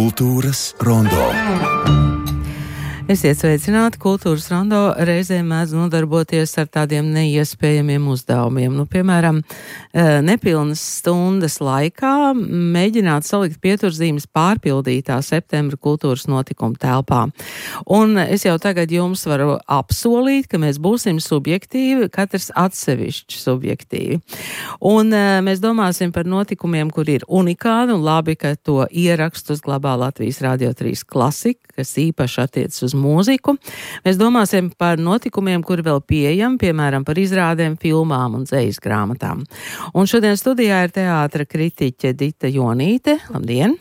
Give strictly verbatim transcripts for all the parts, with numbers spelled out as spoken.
Kultūras rondo. Esiet sveicināti, kultūras rondo reizēm mēdz nodarboties ar tādiem neiespējamiem uzdevumiem. Nu, piemēram, nepilnas stundas laikā mēģināt salikt pieturzīmes pārpildītā septembra kultūras notikuma telpā. Un es jau tagad jums varu apsolīt, ka mēs būsim subjektīvi, katrs atsevišķi subjektīvi. Un mēs domāsim par notikumiem, kur ir unikāli, un labi, ka to ierakstu uzglabā Latvijas Radio trīs klasika, kas īpaši attiec uz mūziku. Mēs domāsim par notikumiem, kuri vēl pieejami, piemēram, par izrādēm, filmām un dzejas grāmatām. Un šodien studijā ir teātra kritiķe Dita Jonīte. Labdien!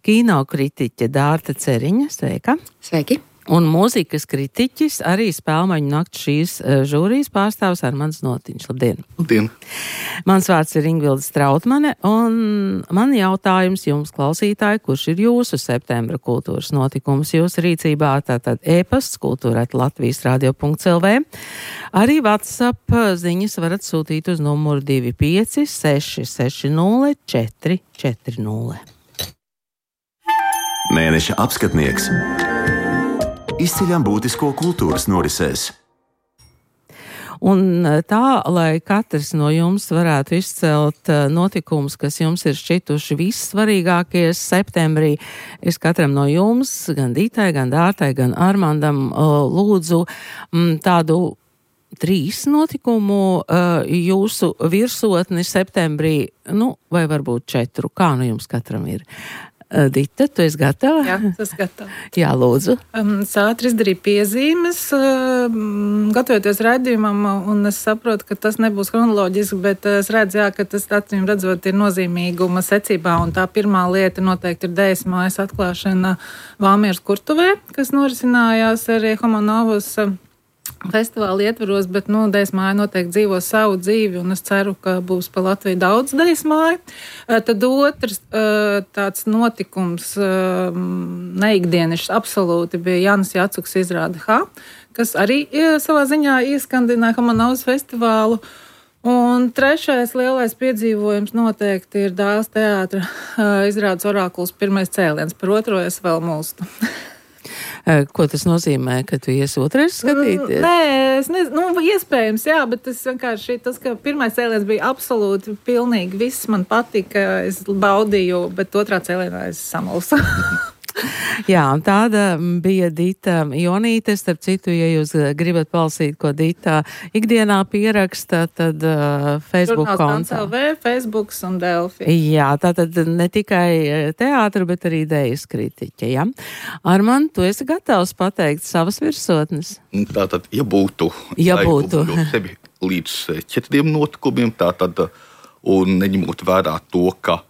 Kino kritiķe Dārta Ceriņa. Sveika! Sveiki! Un mūzikas kritiķis, arī Spēlmaņu nakts šīs žūrijas pārstāvs Armands Notiņš. Labdien! Labdien! Mans vārds ir Ingvilda Strautmane, un man jautājums jums, klausītāji, kurš ir jūsu septembra kultūras notikums jūsu rīcībā, tātad e-pasts kultūra at latvijas radio punkts el vē. Arī WhatsApp ziņas varat sūtīt uz numuru divi pieci seši seši nulle četri četri nulle. Mēneša apskatnieks. Izceļam būtisko kultūras norisēs. Un tā, lai katrs no jums varētu izcelt notikumus, kas jums ir šķituši vissvarīgākie septembrī, es katram no jums, gan Dītai, gan Dārtai, gan Armandam, lūdzu tādu trīs notikumu jūsu virsotni septembrī, nu, vai varbūt četru, kā nu jums katram ir. Dita, tu esi gatava? Jā, es gatava. Jā, lūdzu. Um, es ātri izdarīju piezīmes, um, gatavoties raidījumam, un es saprotu, ka tas nebūs chronoloģiski, bet es redzu, jā, ka tas, acīm redzot, ir nozīmīguma secībā, un tā pirmā lieta noteikti ir Dejas mājas atklāšana Valmieras kurtuvē, kas norisinājās arī Homonovas festivāla ietvaros, bet, nu, Dejas māja noteikti dzīvo savu dzīvi, un es ceru, ka būs pa Latviju daudz Dejas māju. Tad otrs tāds notikums, neikdienišs absolūti, bija Jānis Jacuks izrāde H, kas arī savā ziņā ieskandināja Homonovas festivālu. Un trešais lielais piedzīvojums noteikti ir Dāles teātra izrādes Orākuls pirmais cēliens. Par otro es vēl mulstu. Ko tas nozīmē, ka tu iesi otrais skatīties? Nē, es nezinu, nu, iespējams, jā, bet tas vienkārši, tas, ka pirmais cēliens bija absolūti pilnīgi, viss man patika, es baudīju, bet otrā cēlienā es samulsu. Jā, un tāda bija Dita Jonīte. Starp citu, ja jūs gribat palasīt, ko Dita ikdienā pieraksta, tad uh, Facebook kontā. L V, Facebooks un Delfi. Jā, tātad ne tikai teātra, bet arī dejas kritiķe, jā. Armand, tu esi gatavs pateikt savas virsotnes? Tātad, ja būtu, ja būtu. sevi līdz četriem notikumiem, tātad, un neņemot vērā to, ka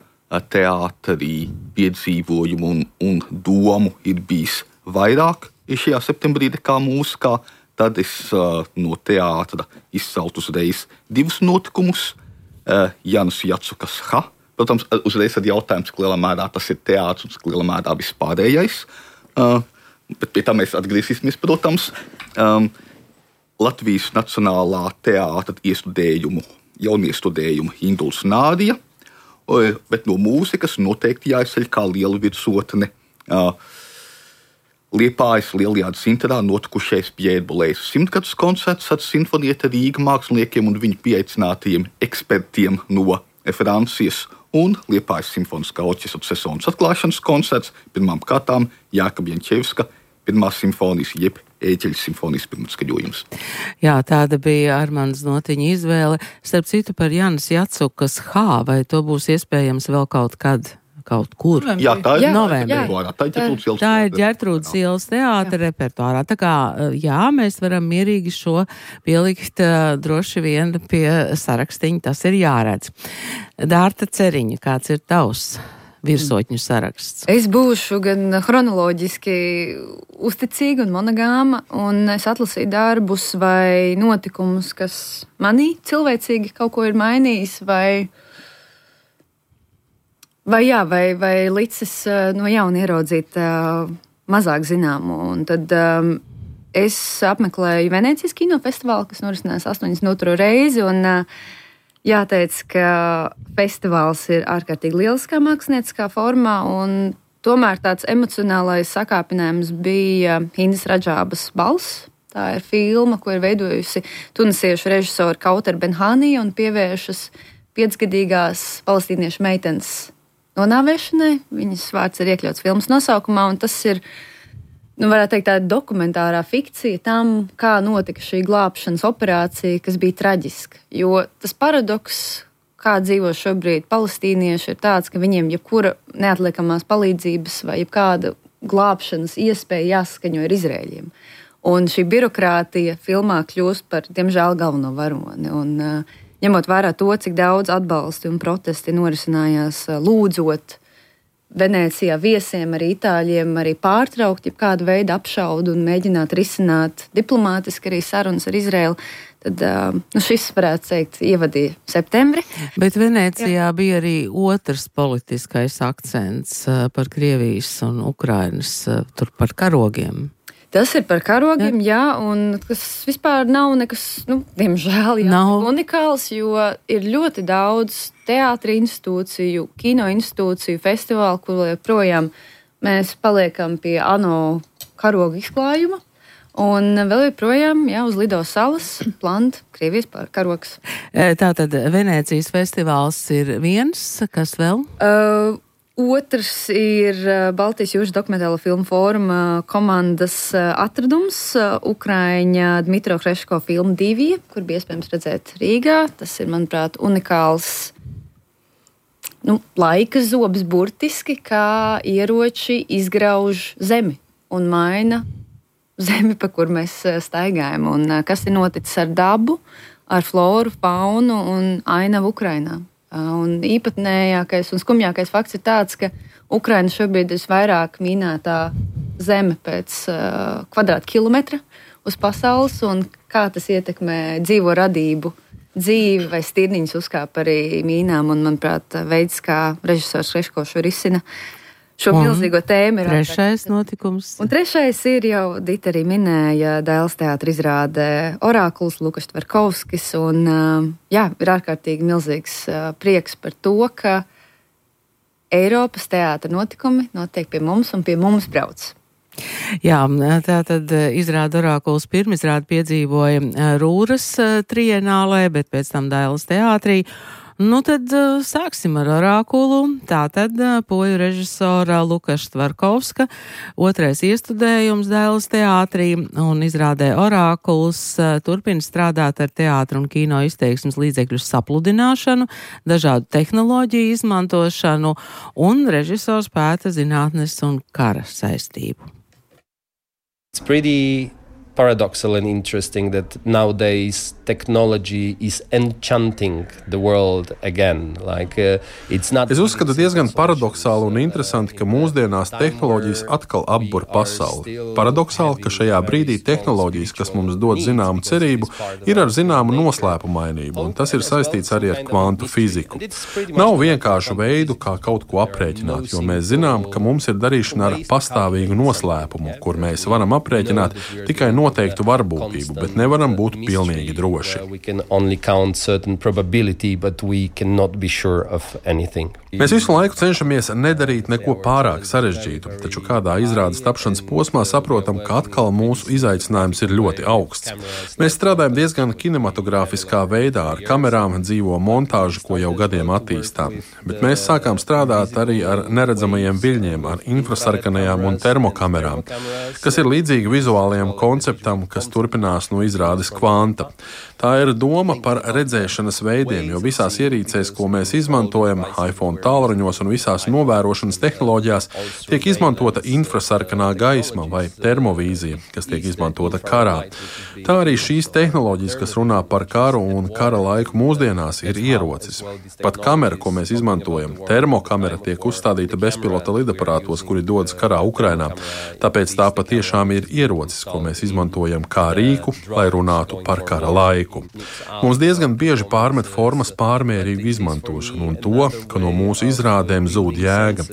teātrī piedzīvojumu un, un domu ir bijis vairāk šajā septembrī nekā mūzikā, tad es uh, no teātra izceltu uzreiz divus notikumus. Uh, Jānis Jacukas H. Protams, uzreiz ir jautājums, cik lielā mērā tas ir teātrs un cik lielā mērā vispārējais. Uh, bet pie tā mēs atgriezīsimies, protams. Um, Latvijas Nacionālā teātra iestudējumu, jauniestudējumu Induls Nādija. Bet no mūzikas noteikti jāizceļ kā liela virsotne uh, Liepājas Lielajā dzintarā notikušais Pjēra Bulējas simtgadus koncerts ar simfonieta Rīga māksliniekiem un viņu pieaicinātajiem ekspertiem no Francijas un Liepājas simfoniskā orķestra sezonas atklāšanas koncerts, pirmām kārtām Jāka Bjančevska pirmās simfonijas, jeb Ēģeļa simfonijas pirmatskaņojums. Jā, tāda bija Armands Notiņa izvēle. Starp citu par Jānis Jacukas H, vai to būs iespējams vēl kaut kad, kaut kur? Jā, tā ir novembrī. Tā ir Ģertrūdes ielas Tā ir Ģertrūdes ielas teātra repertuārā. Tā kā, jā, mēs varam mierīgi šo pielikt droši vien pie sarakstiņa, tas ir jāredz. Dārta Ceriņa, kāds ir tavs virsotņu saraksts? Es būšu gan chronoloģiski uzticīga un monogāma, un es atlasīju darbus vai notikumus, kas manī cilvēcīgi kaut ko ir mainījis, vai, vai, jā, vai, vai licis no jauna ieraudzīt uh, mazāk zināmu. Un tad um, es apmeklēju Venēcijas kinofestivālu, kas norisinās astoņdesmit otro reizi, un uh, jāteic, ka festivāls ir ārkārtīgi lieliskā mākslinieckā formā, un tomēr tāds emocionālais sakāpinājums bija Hindas Radžābas balss. Tā ir filma, ko ir veidojusi tunisiešu režisori Kautar Benhānija un pievēršas piecgadīgās palestīniešu meitenes nonāvēšanai. Viņas vārds ir iekļauts filmas nosaukumā, un tas ir, nu, varētu teikt, tāda dokumentārā fikcija tam, kā notika šī glābšanas operācija, kas bija traģiska. Jo tas paradoks, kā dzīvo šobrīd palestīnieši, ir tāds, ka viņiem jebkura neatliekamās palīdzības vai jebkāda glābšanas iespēja jāsaskaņo ar Izrēļiem. Un šī birokrātija filmā kļūst par, diemžēl, galveno varoni. Un, uh, ņemot vērā to, cik daudz atbalsti un protesti norisinājās uh, lūdzot Venēcijā viesiem, arī itāļiem, arī pārtraukt jebkādu veidu apšaudu un mēģināt risināt diplomātiski arī sarunas ar Izraēlu, tad uh, nu, šis, varētu teikt, ievadīja septembri. Bet Venēcijā Jā. bija arī otrs politiskais akcents uh, par Krievijas un Ukrainas, uh, tur par karogiem. Tas ir par karogiem, jā, jā un tas vispār nav nekas, nu, diemžēl, jā, nav unikāls, jo ir ļoti daudz teātra institūciju, kino institūciju, festivālu, kur joprojām mēs paliekam pie ANO karogu izklājuma. Un vēl joprojām, jā, uz Lido salas plant Krievijas karogs. Tātad Venēcijas festivāls ir viens, kas vēl? Uh, Otrs ir Baltijas jūras dokumentālo filmu fóruma komandas atradums, Ukraiņa Dmitro Hreško filma Divija, kur bija iespējams redzēt Rīgā. Tas ir, manuprāt, unikāls, nu, laika zobs burtiski, kā ieroči izgrauž zemi un maina zemi, pa kur mēs staigājam. Un kas ir noticis ar dabu, ar floru, faunu un ainavu Ukrainā. Un īpatnējākais un skumjākais fakts ir tāds, ka Ukraina šobrīd ir visvairāk minētā zeme pēc uh, kvadrātkilometra uz pasaules, un kā tas ietekmē dzīvo radību, dzīvi vai stirniņas uzkāp arī mīnām, un, manuprāt, veids, kā režisors Hreško šo risina šo un milzīgo tēmu. Ir trešais ārkārt. notikums. Un trešais ir jau, Dita arī minēja, Dailes teātra izrāde Orākuls, Lukas Tverkovskis, un jā, ir ārkārtīgi milzīgs prieks par to, ka Eiropas teātra notikumi notiek pie mums un pie mums brauc. Jā, tā tad izrāda Orākuls pirmizrādi piedzīvoja Rūras trienālē, bet pēc tam Dailes teātrī. Nu, tad uh, sāksim ar Orākulu. Tātad uh, poļu režisora Lukas Tverkovska, otrais iestudējums Dailes teātrī un izrādē Orākuls uh, turpina strādāt ar teātra un kino izteiksmes līdzekļu sapludināšanu, dažādu tehnoloģiju izmantošanu, un režisors pēta zinātnes un kara saistību. It's pretty paradoxal and interesting that nowadays technology is enchanting the world again. Like, uh, it's not... Es uzskatu diezgan paradoxāli un interesanti, ka mūsdienās tehnoloģijas atkal apbur pasauli. Paradoxāli, ka šajā brīdī tehnoloģijas, kas mums dod zināmu cerību, ir ar zināmu noslēpumainību, un tas ir saistīts arī ar kvantu fiziku. Nav vienkāršu veidu, kā kaut ko aprēķināt, jo mēs zinām, ka mums ir darīšana ar pastāvīgu noslēpumu, kur mēs varam aprēķināt tikai noteiktu varbūtību, bet nevaram būt pilnīgi droši. Mēs visu laiku cenšamies nedarīt neko pārāk sarežģītu, taču kādā izrādes tapšanas posmā saprotam, ka atkal mūsu izaicinājums ir ļoti augsts. Mēs strādājam diezgan kinematogrāfiskā veidā ar kamerām, dzīvo montāžu, ko jau gadiem attīstām, bet mēs sākām strādāt arī ar neredzamajiem viļņiem, ar infrasarkanajām un termokamerām, kas ir līdzīgi vizuālajiem konceptam, kas turpinās no izrādes kvanta. Tā ir doma par redzēšanas veidiem, jo visās ierīcēs, ko mēs izmantojam, iPhone tālruņos un visās novērošanas tehnoloģijās, tiek izmantota infrasarkanā gaisma vai termovīzija, kas tiek izmantota karā. Tā arī šīs tehnoloģijas, kas runā par karu un kara laiku mūsdienās, ir ierocis. Pat kamera, ko mēs izmantojam, termokamera, tiek uzstādīta bezpilota lidaparātos, kuri dodas karā Ukrainā. Tāpēc tā patiešām ir ierocis, ko mēs izmantojam izmantojam kā rīku, lai runātu par kara laiku. Mums diezgan bieži pārmet formas pārmērīgu izmantošanu un to, ka no mūsu izrādēm zūd jēga.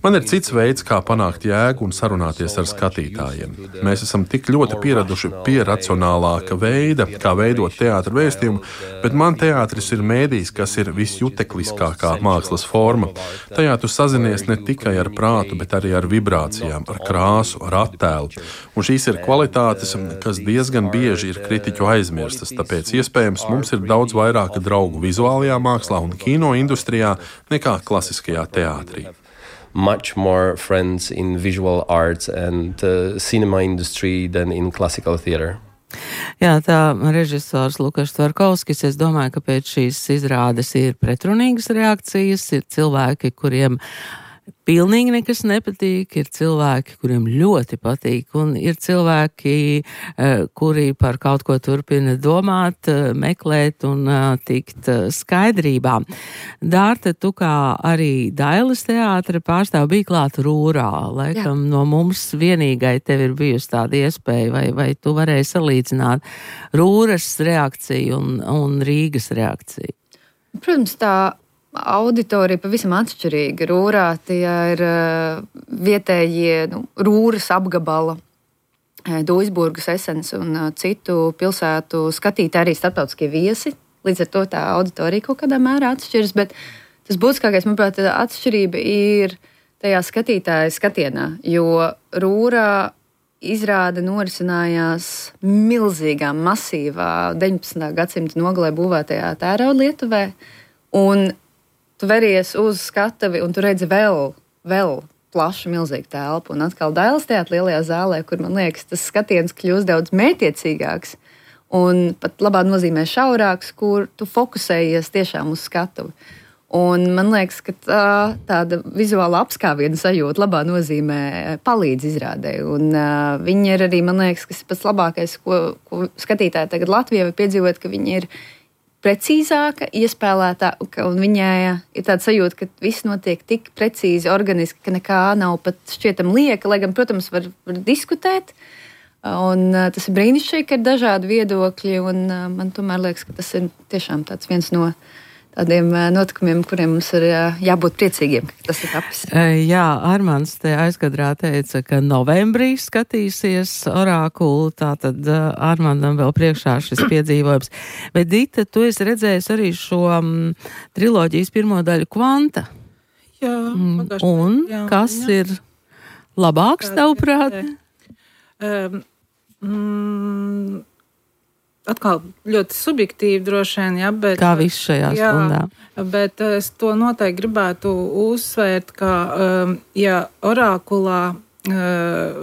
Man ir cits veids, kā panākt jēgu un sarunāties ar skatītājiem. Mēs esam tik ļoti pieraduši pie racionālāka veida, kā veidot teātra vēstījumu, bet man teātris ir mēdījis, kas ir visjutekliskākā mākslas forma. Tajā tu sazinies ne tikai ar prātu, bet arī ar vibrācijām, ar krāsu, ar attēlu. Un šīs ir kvalitātes, kas diezgan bieži ir kritiķu aizmirstas, tāpēc iespējams mums ir daudz vairāk draugu vizuālajā mākslā un kino industrijā nekā klasiskajā teātrī. Much more friends in visual arts and uh, cinema industry than in classical theater. Jā, tā režisors Lukas Tvarkovskis, es domāju, ka pēc šīs izrādes ir pretrunīgas reakcijas, ir cilvēki, kuriem pilnīgi nekas nepatīk, ir cilvēki, kuriem ļoti patīk, un ir cilvēki, kuri par kaut ko turpina domāt, meklēt un tikt skaidrībā. Dārta, tu kā arī Dailes teātra pārstāv bija klāt Rūrā, laikam Jā. No mums vienīgai tev ir bijusi tāda iespēja, vai, vai tu varēji salīdzināt Rūras reakciju un, un Rīgas reakciju? Protams, tā auditorija pavisam atšķirīga. Rūrā tie ir uh, vietējie nu, Rūras apgabala, Duisburgas, Esens un uh, citu pilsētu skatītāji, arī starptautiskie viesi. Līdz ar to tā auditorija kaut kādā mērā atšķiras, bet tas būtiskākais, manuprāt, atšķirība ir tajā skatītāja skatienā, jo Rūrā izrāde norisinājās milzīgā, masīvā deviņpadsmitā gadsimta nogalē būvētajā tērauda Lietuvē, un tu veries uz skatavi un tu redzi vēl, vēl plašu, milzīgu telpu. Un atkal Dailes teātra lielajā zālē, kur, man liekas, tas skatiens kļūst daudz mētiecīgāks un pat labā nozīmē šaurāks, kur tu fokusējies tiešām uz skatuvi. Un man liekas, ka tā, tāda vizuāla apskāviena sajūta labā nozīmē palīdz izrādē. Un uh, viņi ir arī, man liekas, kas ir pats labākais, ko, ko skatītāji tagad Latvijā var piedzīvot, ka viņi ir precīzāka, iespēlētāka, un viņai ir tāda sajūta, ka viss notiek tik precīzi, organiski, ka nekā nav pat šķietam lieka, lai gan, protams, var, var diskutēt, un uh, tas ir brīnišķīgi, ka ir dažādi viedokļi, un uh, man tomēr liekas, ka tas ir tiešām tāds viens no tādiem notikumiem, kuriem mums ir jābūt priecīgiem, ka tas ir tapis. Jā, Armands te aizkadrā teica, ka novembrī skatīsies Orākulu, tātad Armandam vēl priekšā šis piedzīvojums. Bet, Dita, tu esi redzējis arī šo um, triloģijas pirmo daļu Kvanta. Jā, pagaši. Un jā, kas jā. ir labāks, tavuprāt? Um, mm, Atkal ļoti subjektīvi droši vien, ja, bet... Kā viss šajā jā, stundā. Bet es to noteikti gribētu uzsvērt, ka, um, ja Orākulā uh,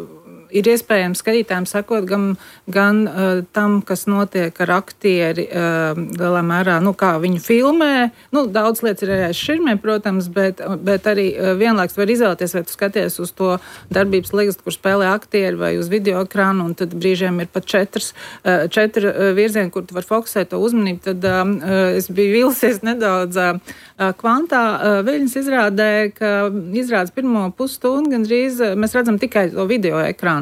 ir iespējams skatītājiem sakot gan, gan uh, tam, kas notiek ar aktieri, uh, lielā mērā, nu, kā viņu filmē. Nu, daudz lietas ir arī aiz širmēm, protams, bet, bet arī uh, vienlaiks var izvēlēties, vai tu skaties uz to darbības ligstu, kur spēlē aktieri, vai uz video ekrānu, un tad brīžiem ir pat četras, uh, četri uh, virzieni, kur tu var fokusēt to uzmanību. Tad uh, es biju vilsies nedaudz uh, Kvantā. Uh, Viļņas izrādē, ka izrādes pirmo pusstundu gandrīz uh, mēs redzam tikai to video ekrānu.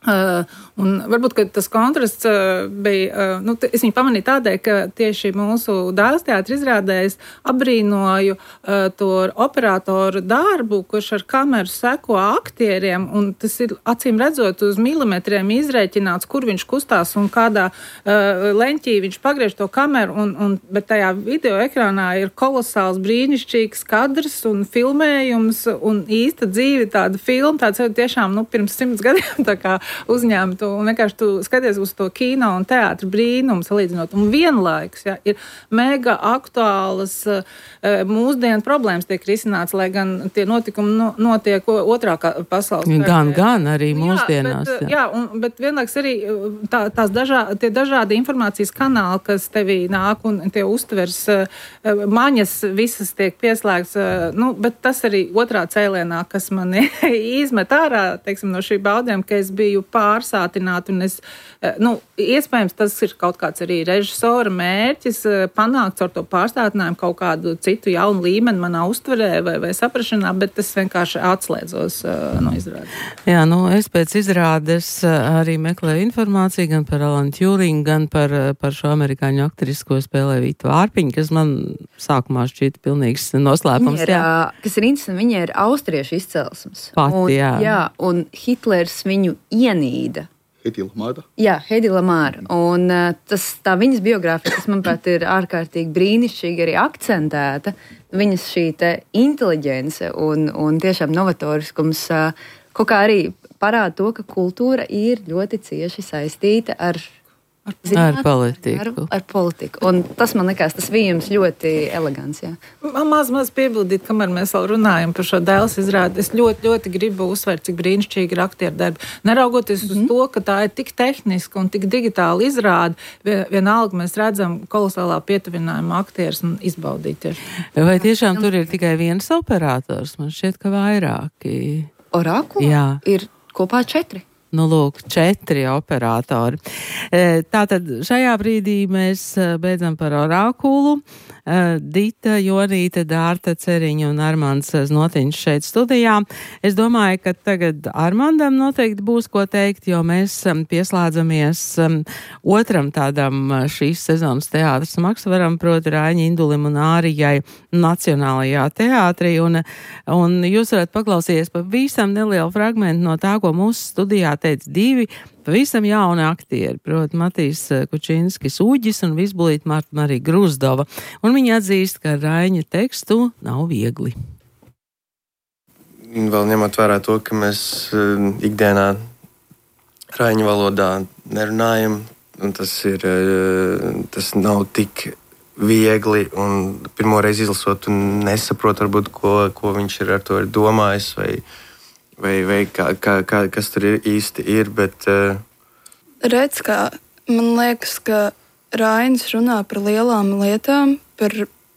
Uh, un varbūt, ka tas kontrasts uh, bija, uh, nu, t- es viņu pamanīju tādēļ, ka tieši mūsu Dailes teātra izrādēs abrīnoju uh, to operatoru darbu, kurš ar kameru seko aktieriem, un tas ir acīm redzot uz milimetriem izrēķināts, kur viņš kustās un kādā uh, leņķī viņš pagriež to kameru, un, un, bet tajā video ekrānā ir kolosāls brīnišķīgs kadrs un filmējums un īsta dzīve, tāda filma, tāds tiešām, nu, pirms simts gadiem tā kā uzņēmtu, un vienkārši tu skaties uz to kino un teātra brīnumu salīdzinot. Un vienlaikus, ja, ir mega aktuālas uh, mūsdienu problēmas tiek risināts, lai gan tie notikumi no, notiek otrā pasaules kara. Gan, gan arī mūsdienās. Jā, bet, jā. Jā, un, bet vienlaikus arī tā, tās dažā, tie dažādi informācijas kanāli, kas tevī nāk un tie uztvers uh, maņas visas tiek pieslēgts, uh, nu, bet tas arī otrā cēlienā, kas mani izmet ārā, teiksim, no šī baudījuma, ka es biju kļuva pārsātināti. Un es, nu, iespējams, tas ir kaut kāds arī režisora mērķis panākt ar to pārstātinājumu kaut kādu citu jaunu līmeni manā uztverē vai, vai saprašanā, bet es vienkārši atslēdzos no izrādes. Jā, nu, es pēc izrādes arī meklēju informāciju gan par Alanu Tjūringu, gan par, par šo amerikāņu aktrisu, ko spēlē Vītu Vārpiņu, kas man sākumā šķita pilnīgs noslēpums. Ir, kas ir interesanti, viņa ir austriešu izcelsmes. Pati, un, jā. jā. Un Hitlers viņu ienīda. Hedi Lamāra. Jā, Hedi Lamāra. Un tas, tā viņas biogrāfija, kas, manuprāt, ir ārkārtīgi brīnišķīgi arī akcentēta, viņas šī te inteliģence un, un tiešām novatoriskums kaut kā arī parāda to, ka kultūra ir ļoti cieši saistīta ar Ar, ar politiku. Ar, ar politiku. Un tas man liekas, tas vījums ļoti elegants. Jā. Man maz, maz piebildīt, kamēr mēs vēl runājam par šo Dēls izrādi. Es ļoti, ļoti gribu uzsvērt, cik brīnišķīgi ir aktieru darbi. Neraugoties mm-hmm. uz to, ka tā ir tik tehniska un tik digitāla izrāde, vienalga mēs redzam kolosālā pietuvinājuma aktierus un izbaudīt tieši. Vai tiešām tur ir tikai viens operators? Man šķiet, ka vairāki. Orākulā Jā. Ir kopā četri. Nu, lūk, četri operatori. Tātad šajā brīdī mēs beidzam par Orākulu. Dita, Jonīte, Dārta Ceriņa un Armands Znotiņš šeit studijā. Es domāju, ka tagad Armandam noteikti būs ko teikt, jo mēs pieslēdzamies otram tādam šīs sezonas teātras maksvaram, proti Raiņa Indulim un Ārijai Nacionālajā teātrī. Un, un jūs varat paklausīties pa visam nelielu fragmentu no tā, ko mūsu studijā teica divi pavisam jauni aktieri, proti Matīs Kučinskis Uģis un Vizbulīta Marta Marija Gruzdova. Un viņi atzīst, ka Raiņa tekstu nav viegli. Vēl ņemot vērā to, ka mēs uh, ikdienā Raiņa valodā nerunājam, un tas ir, uh, tas nav tik viegli, un pirmo reizi izlasot un nesaprot varbūt, ko, ko viņš ir ar to ir domājis, vai Vai, vai kā, kā, kā, kas tur ir, īsti ir, bet... Uh... Redz, kā man liekas, ka Rainis runā par lielām lietām, par,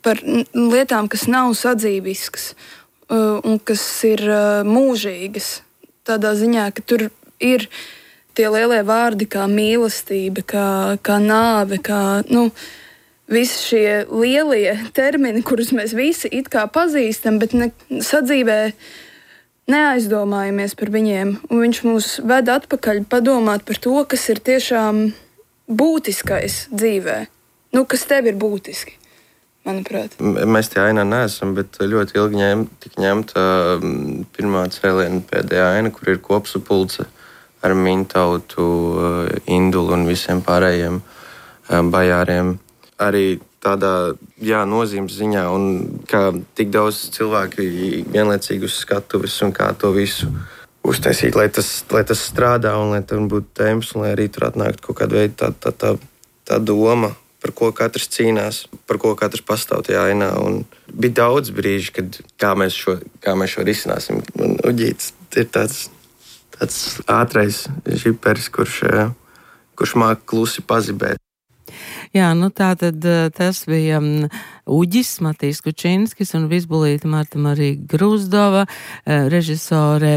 par lietām, kas nav sadzīviskas uh, un kas ir uh, mūžīgas. Tādā ziņā, ka tur ir tie lielie vārdi kā mīlestība, kā, kā nāve, kā, nu, visi šie lielie termini, kurus mēs visi it kā pazīstam, bet ne, sadzīvē neaizdomājamies par viņiem, un viņš mūs ved atpakaļ padomāt par to, kas ir tiešām būtiskais dzīvē. Nu, kas tev ir būtiski, manuprāt. Mēs tie ainā neesam, bet ļoti ilgi ņem, tik ņemta pirmā cēliena pēdējā aina, kur ir kopsapulce ar Mintautu, Indulu un visiem pārējiem bajāriem. Arī tādā jā, nozīmes ziņā, un kā tik daudz cilvēki vienlaicīgi uz skatuves un kā to visu uztaisīt, lai tas, lai tas strādā un lai tam būtu tēmas, un lai arī tur atnāktu kaut kāda veida tā, tā, tā, tā doma, par ko katrs cīnās, par ko katrs pastāv tajā ainā. Un bija daudz brīži, kad kā mēs šo, kā mēs šo risināsim. Un Uģīts ir tāds, tāds ātrais žiperis, kurš, kurš māk klusi pazibēt. Jā, nu tā tad tas bija Uģis, Matīs Kučinskis un Vizbulīta Marta Marija Gruzdova, režisore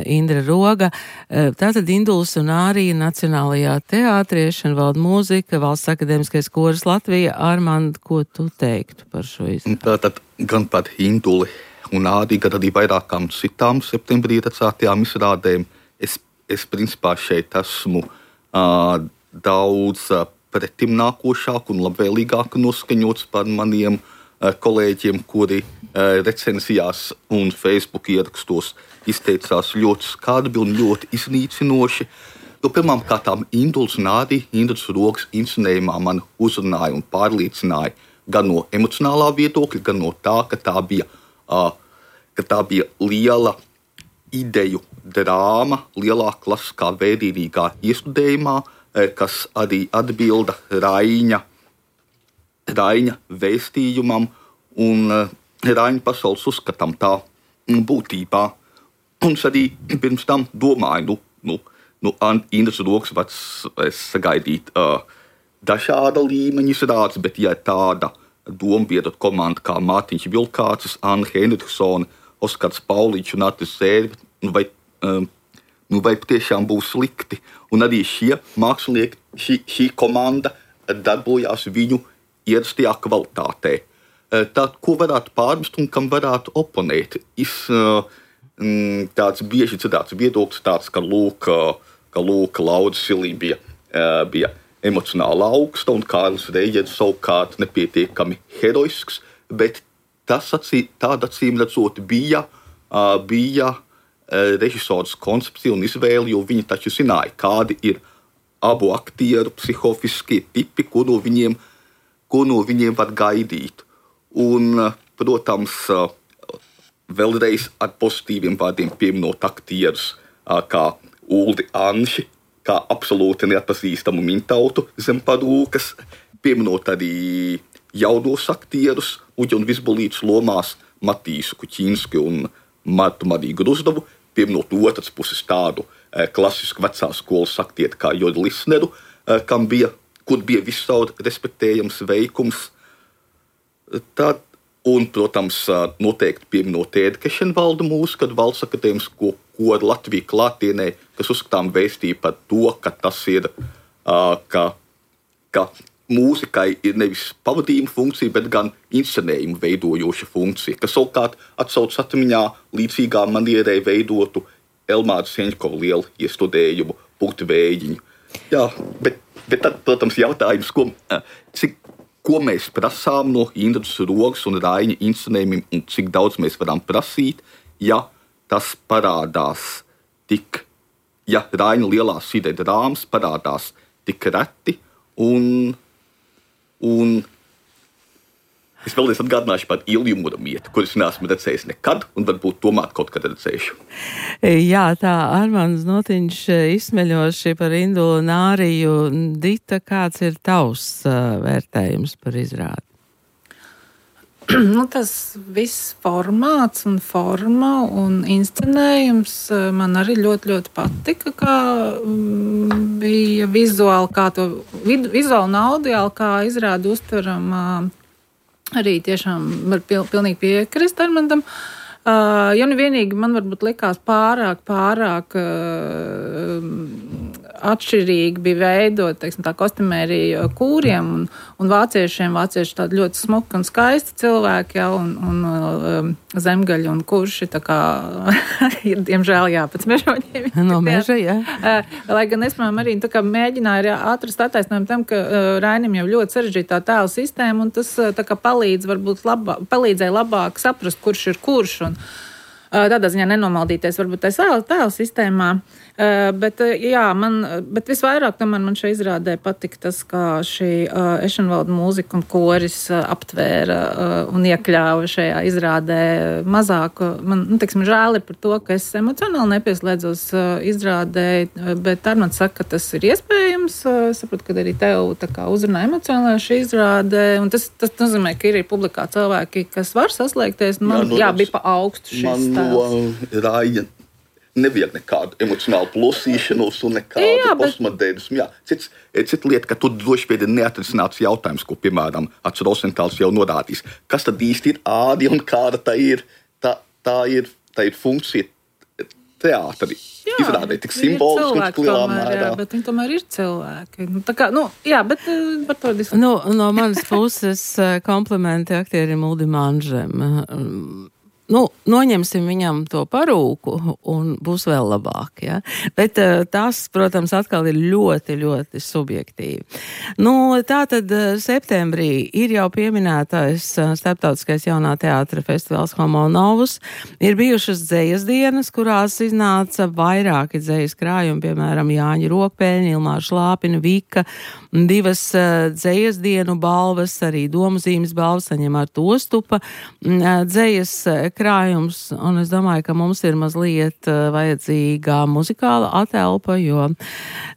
Indra Roga. Tātad Induls un Ārija Nacionālajā teātrī, Šanvalda mūzika, Valsts akadēmiskais koris Latvija. Armand, ko tu teiktu par šo izrādi? Tātad gan par Induli un Āriju, gan arī vairākām citām septembrī redzētajām izrādēm. Es, es principā šeit esmu uh, daudz uh, pretim nākošāk un labvēlīgāk noskaņots par maniem uh, kolēģiem, kuri uh, recenzijās un Facebook ierakstos izteicās ļoti skarbi un ļoti iznīcinoši. Jo pirmām kārtām Induls un Ārija, Indras Rogas inscenējumā man uzrunāja un pārliecināja gan no emocionālā viedokļa, gan no tā, ka tā bija, uh, ka tā bija liela ideju drāma, lielā klasiskā vērīgā iestudējumā, kas arī atbilda Raiņa, Raiņa vēstījumam un Raiņa pasaules uzskatam tā būtībā. Un es arī pirms tam domāju, nu, nu, nu Indras Rogas var sagaidīt uh, dažāda līmeņa izrādes, bet ja tāda dombiedra komanda kā Mārtiņš Vilkācis, Anna Henriksone, Oskars Pauliņš un Artis Zērvi vai um, nu vai patiešām būs slikti. Un arī šie mākslinieki, šī, šī komanda darbojās viņu ierastajā kvalitātē. Tad, ko varētu pārmest un kam varētu oponēt? Es, tāds bieži dzirdēts viedoklis tāds, ka lūk, ka lūk Laura Silī bija, bija emocionāli augsta un Kārlis Reigers savukārt nepietiekami heroisks, bet tas acī, tāda acīm redzot bija, bija režisors koncepcija un izvēle, jo viņi taču zināja, kādi ir abu aktieru psihofiskie tipi, ko no viņiem, ko no viņiem var gaidīt. Un, protams, vēlreiz ar pozitīviem vārdiem pieminot aktierus kā Uldi Anši, kā absolūti neatpazīstamu mintautu zem parūkas, pieminot arī jaunos aktierus, Uģi un Vizbolītes lomās Matīsu Kuķinsku un Martu Mariju Gruzdovu, pieminot otras puses tādu eh, klasisku vecās skolas aktieti kā Jori Lisneru, eh, kam bija, kur bija viscaur respektējams veikums. Tad, un, protams, noteikti pieminot Ēdi Kešenvaldu mūsu, kad Valsts akadēmisko koru Latviju klātienē, kas uzskatām vēstīja par to, ka tas ir, uh, ka, ka mūzikai ir nevis pavadījuma funkcija, bet gan inscenējuma veidojoša funkcija, kas savukārt atsauc atmiņā līdzīgā manierē veidotu Elmāra Seņķova lielu iestudējumu Pūti vējiņu. Jā, bet, bet tad, protams, jautājums, ko, cik, ko mēs prasām no Indras Rogas un Raiņa inscenējumiem un cik daudz mēs varam prasīt, ja tas parādās tik, ja Raiņa lielās sidē drāmas parādās tik reti un Un es vēlreiz atgādināšu par Ilju Muramietu, kuras neesmu redzējis nekad, un varbūt tomēr kaut kad redzēšu. Jā, tā Armāns Notiņš izsmeļoši par Indulu un Āriju. Dita, kāds ir tavs uh, vērtējums par izrādi? Nu, tas viss formāts un forma un inscenējums man arī ļoti, ļoti patika, kā bija vizuāli, kā to vizuāli un audiāli, kā izrādi uztveram, arī tiešām var pil, pilnīgi piekrist Armandam. Uh, ja nu vienīgi man varbūt likās pārāk, pārāk uh, atšķirīgi bija veidot, teiksim, tā kostumērija kūriem un, un vāciešiem. Vācieši tādi ļoti smuki un skaisti cilvēki, ja, un, un um, zemgaļi un kurši, tā kā ir, diemžēl, jā, pēc mežoņiem. No meža, jā. Uh, lai gan es, man arī tā kā mēģināju atrast attaisnojumu tam, ka uh, Rainim jau ļoti sarežģītā tēla sistēma, un tas uh, tā kā palīdz, varbūt labā, palīdzēja labāk saprast, kurš ir kurš, un uh, tādā ziņā nenomaldīties varbūt tajā tēla sistēmā. Uh, bet, uh, jā, man, bet visvairāk tomēr man šeit izrādē patika tas, kā šī uh, Ešenvalda mūzika un koris uh, aptvēra uh, un iekļāva šajā izrādē mazāk. Man, nu, teiksim, žēl ir par to, ka es emocionāli nepieslēdzos uh, izrādē, uh, bet Armands saka, ka tas ir iespējams. Uh, es saprotu, ka arī tev tā kā uzrunā emocionāli šī izrādē, un tas, tas nozīmē, ka ir publikā cilvēki, kas var saslēgties, un man, jā, nu, jā bija pa augstu šis tēls. Man no nevajag nekādu emocionālu plosīšanos un nekādu postmodernismu. Jā, cits, cits lieta, ka tur droši vien ir neatrisināts jautājums, ko, piemēram, Ats Rosentāls jau norādījis. Kas tad īsti ir ādi un kāda tā ir, tā, tā ir, tā ir funkcija teātri? Izrādē tik simboliski un tik lielā mērā. Jā, bet viņi tomēr ir cilvēki. Nu, tā kā, nu, jā, bet par to diskutēt. Nu, no manas puses komplimenti aktierim Uldim Anžem. Nu, noņemsim viņam to parūku un būs vēl labāk, ja? Bet tas, protams, atkal ir ļoti, ļoti subjektīvi. Nu, tā tad septembrī ir jau pieminētais starptautiskais jaunā teātra festivāls Homo Novus. Ir bijušas dzejas dienas, kurās iznāca vairāki dzejas krājumi, piemēram, Jāņa Rokpēļņa, Ilmāra Šlāpina, Vika, divas dzejas dienu balvas, arī Domuzīmes balvas saņem Arta Ostupa dzejas krājums, un es domāju, ka mums ir mazliet vajadzīgā muzikāla atelpa, jo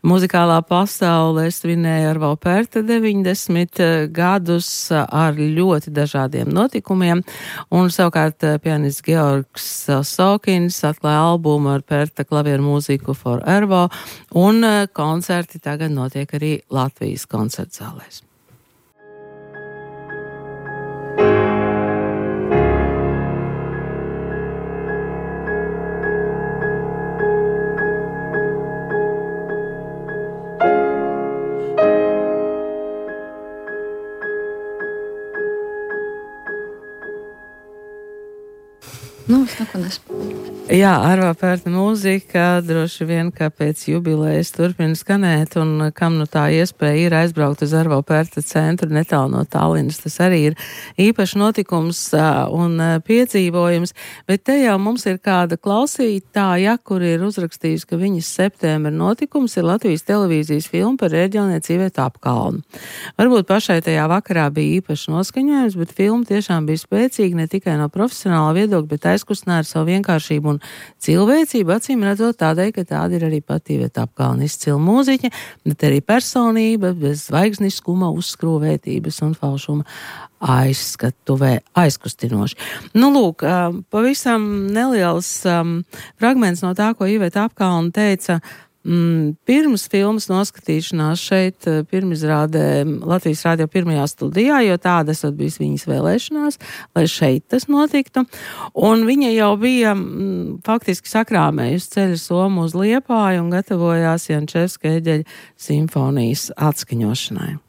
muzikālā pasaule svinēja Arvo Pērta deviņdesmit gadus ar ļoti dažādiem notikumiem, un savukārt pianists Georgs Sokins atklāja albumu ar Pērta klavieru mūziku for Arvo, un koncerti tagad notiek arī Latvijas koncertzālēs. es neko nespēju. Jā, Arvā Pērta mūzika droši vien, kā pēc jubilejas turpina skanēt, un kam nu tā iespēja ir aizbraukt uz Arvā Pērta centru netālu no Tallinas. Tas arī ir īpašs notikums un piedzīvojums, bet te jau mums ir kāda klausītāja, kur ir uzrakstījusi, ka viņas septembra notikums ir Latvijas televīzijas filma par ērģelnieci Ivetu Apkalnu. Varbūt pašai tajā vakarā bija īpašs noskaņojums, bet filma tiešām bija spēcīga ne tikai no profesionāla viedokļa, bet aizkustināja ar savu vienkāršību un cilvēcību, acīm redzot tādēļ, ka tāda ir arī pati Iveta Apkalna izcila mūziķe, bet arī personība, bez zvaigzniskuma, uzskrūvētības un falšuma aizskatuvē aizkustinoši. Nu, lūk, pavisam neliels um, fragments no tā, ko Iveta Apkalna teica Mm, pirms filmas noskatīšanās šeit pirmizrādē Latvijas radio pirmajā studijā, jo tāda esot bijis viņas vēlēšanās, lai šeit tas notiktu. Un viņa jau bija mm, faktiski sakrāmējusi ceļa somu uz Liepāju un gatavojās Jančevska eģeļa simfonijas atskaņošanai.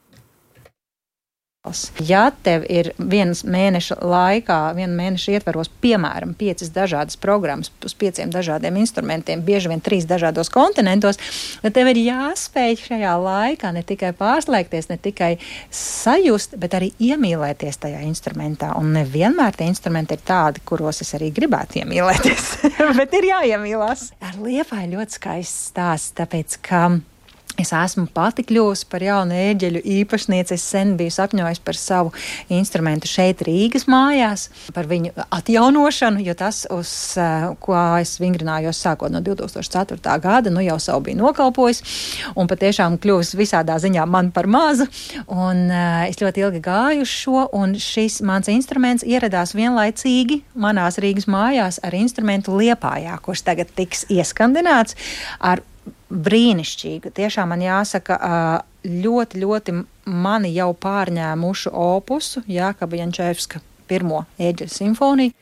Ja tev ir vienas mēneša laikā, viena mēneša ietvaros, piemēram, piecas dažādas programmas uz pieciem dažādiem instrumentiem, bieži vien trīs dažādos kontinentos, tad tev ir jāspēj šajā laikā ne tikai pārslēgties, ne tikai sajust, bet arī iemīlēties tajā instrumentā. Un nevienmēr tie instrumenti ir tādi, kuros es arī gribētu iemīlēties, bet ir jāiemīlās. Ar Liepāju ļoti skaists stāsts, tāpēc, ka es esmu pati kļuvusi par jaunu ērģeļu īpašnieci. Es sen biju sapņojis par savu instrumentu šeit Rīgas mājās, par viņu atjaunošanu, jo tas, uz ko es vingrinājos sākot no divi tūkstoši ceturtā gada, nu jau savu bija nokalpojis un patiešām kļuvis visādā ziņā man par mazu. Un uh, es ļoti ilgi gāju uz šo, un šis mans instruments ieradās vienlaicīgi manās Rīgas mājās ar instrumentu Liepājā, kurš tagad tiks ieskandināts ar brīnišķīgu. Tiešām man jāsaka, ļoti, ļoti mani jau pārņēmušu opusu Jākaba Jančevska pirmo ērģeļu simfoniju.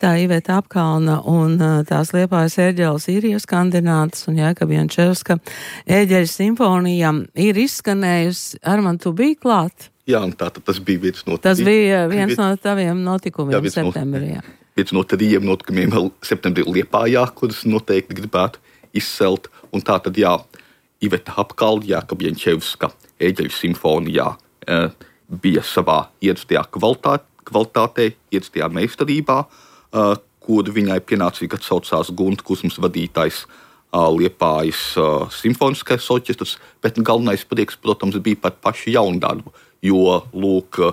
Tā Iveta Apkalna un tās Liepājas ērģeles ir ieskandinātas, un Jākaba Jančevska ērģeļu simfonija ir izskanējusi. Arman, tu biji klāt? Jā, un tā tas bija viens no... Tas bija viens no taviem notikumiem jā, septembrī. No, viens no tādiem notikumiem septembrī Liepājā, kurus noteikti gribētu izcelt. Un tā tad, jā, Iveta Apkalna, Jākaba Jančevska ērģeļu simfonijā e, bija savā ierastajā kvalitātē, kvalitātē ierastajā meistarībā, e, kur viņai pienācīgi atsaucās Gunta Kusmas vadītais e, Liepājas e, simfoniskais orķestrs, bet galvenais prieks, protams, bija par pašu jaundarbu, jo, lūk,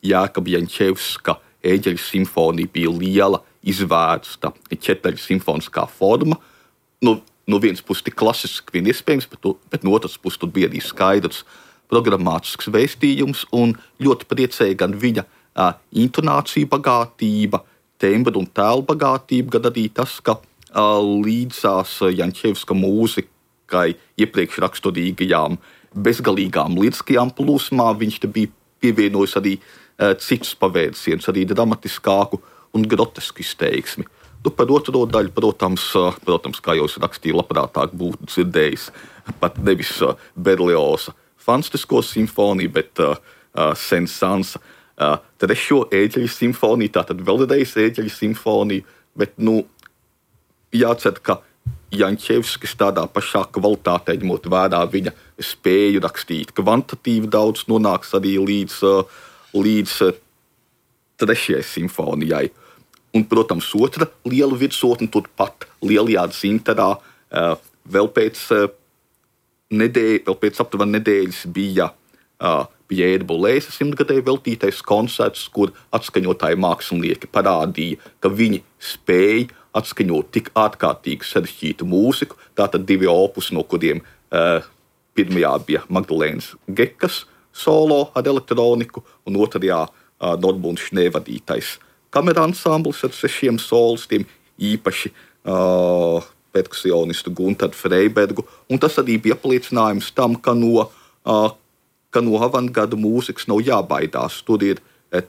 Jākaba Jančevska ērģeļu simfonija bija liela, izvērsta četru simfoniskā forma. Nu, no vienas puses tik klasiski vien iespējams, bet, bet no otras puses tur bija arī skaidrs programmātisks vēstījums un ļoti priecēja gan viņa uh, intonācija bagātība, tembra un tēlu bagātība, gan arī tas, ka uh, līdzās Jančevska mūzikai iepriekš raksturīgajām bezgalīgām liriskajām plūsmām viņš te bija pievienojis arī uh, citus pavērsienus, arī dramatiskāku un grotesku izteiksmi. Nu, par otro daļu, protams, protams, kā jau es rakstīju, labprātāk būtu dzirdējis pat nevis Berlioza fantastisko simfoniju, bet uh, Saint-Saënsa uh, trešo ērģeļu simfoniju, tātad vēlreiz ērģeļu simfoniju, bet, nu, jācer, ka Jančevskis tādā pašā kvalitātē, ņemot vērā viņa spēju rakstīt kvantitīvi daudz, nonāks arī līdz, uh, līdz uh, trešajai simfonijai. Un, protams, otra liela virsotne turpat Lielajā Dzintarā vēl pēc nedēļas, vēl pēc aptuveni nedēļas bija Pjēra Bolēsa simtgadēju veltītais koncerts, kur atskaņotāji mākslinieki parādīja, ka viņi spēj atskaņot tik ārkārtīgi sarežģītu mūziku. Tātad divi opus, no kuriem pirmajā bija Magdalēnas Gekas solo ar elektroniku, un otrajā Nordbund Šnē vadītais kamera ansamblis ar sešiem solistiem, īpaši uh, perkusionistu Guntaru Freibergu, un tas arī bija apliecinājums tam, ka no, uh, ka no avantgarda mūzikas nav jābaidās. Tur ir